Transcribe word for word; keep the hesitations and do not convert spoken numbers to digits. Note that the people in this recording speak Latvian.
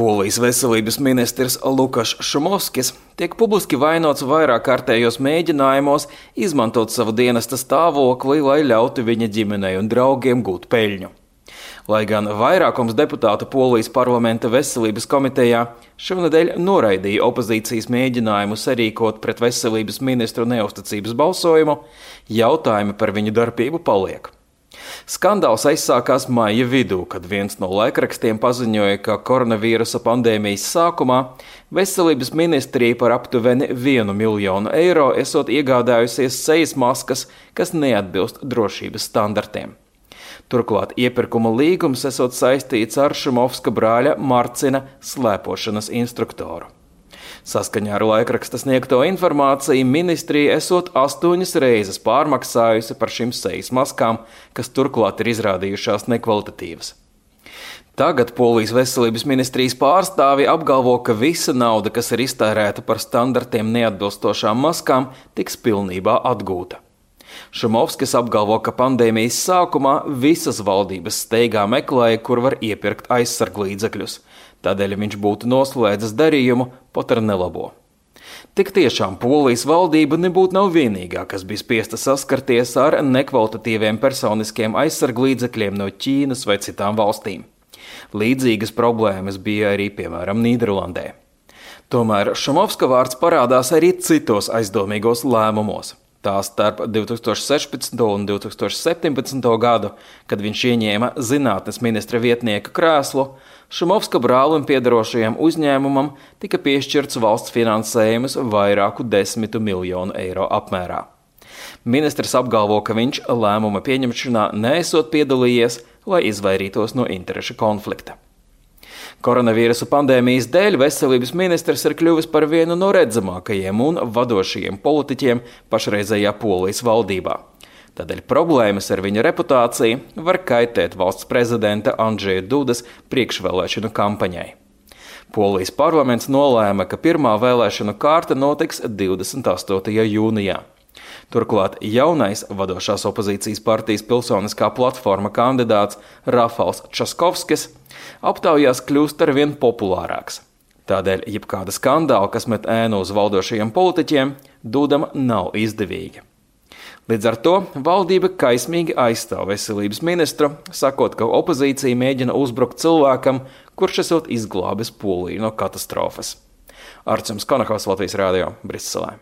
Polijas veselības ministrs Lukašs Šumovskis tiek publiski vainots vairāk kārtējos mēģinājumos izmantot savu dienesta stāvokli, lai ļautu viņa ģimenei un draugiem gūt peļņu. Lai gan vairākums deputātu Polijas parlamenta veselības komitejā šonedēļ noraidīja opozīcijas mēģinājumu sarīkot pret veselības ministru neusticības balsojumu, jautājumi par viņu darbību paliek. Skandāls aizsākās maija vidū, kad viens no laikrakstiem paziņoja, ka koronavīrusa pandēmijas sākumā veselības ministrija par aptuveni vienu miljonu eiro esot iegādājusies sejas maskas, kas neatbilst drošības standartiem. Turklāt iepirkuma līgums esot saistīts ar Šumovska brāļa Marcina slēpošanas instruktoru. Saskaņā ar laikraksta sniegto informāciju ministrija esot astoņas reizes pārmaksājusi par šīm sejas maskām, kas turklāt ir izrādījušās nekvalitatīvas. Tagad Polijas veselības ministrijas pārstāvi apgalvo, ka visa nauda, kas ir iztērēta par standartiem neatbilstošām maskām, tiks pilnībā atgūta. Šumovskis apgalvo, ka pandēmijas sākumā visas valdības steigā meklēja, kur var iepirkt aizsarglīdzekļus. Tādēļ viņš būtu noslēdzis darījumu pat ar nelabo. Tik tiešām Polijas valdība nebūtu nav vienīgā, kas bija spiesta saskarties ar nekvalitatīviem personiskiem aizsarglīdzekļiem no Ķīnas vai citām valstīm. Līdzīgas problēmas bija arī, piemēram, Nīderlandē. Tomēr Šumovska vārds parādās arī citos aizdomīgos lēmumos. Tā starp divi tūkstoši sešpadsmito un divi tūkstoši septiņpadsmito gadu, kad viņš ieņēma zinātnes ministra vietnieka krēslu, Šumovska brālim piederošajam uzņēmumam tika piešķirts valsts finansējums vairāku desmitu miljonu eiro apmērā. Ministrs apgalvo, ka viņš lēmuma pieņemšanā neesot piedalījies, lai izvairītos no interešu konflikta. Koronavīrusa pandēmijas dēļ veselības ministrs ir kļuvis par vienu no redzamākajiem un vadošajiem politiķiem pašreizējā Polijas valdībā. Tādēļ problēmas ar viņa reputāciju var kaitēt valsts prezidenta Andžeja Dudas priekšvēlēšanu kampaņai. Polijas parlaments nolēma, ka pirmā vēlēšanu kārta notiks divdesmit astotajā jūnijā. Turklāt jaunais vadošās opozīcijas partijas Pilsoniskā platforma kandidāts Rafals Časkovskis aptaujās kļūst ar vien populārāks. Tādēļ jebkāda skandāla, kas met ēnu uz valdošajiem politiķiem, Dudam nav izdevīga. Līdz ar to valdība kaismīgi aizstāv veselības ministru, sakot, ka opozīcija mēģina uzbrukt cilvēkam, kurš esot izglābis Poliju no katastrofas. Arčuns Konakovs, Latvijas radio, Briselē.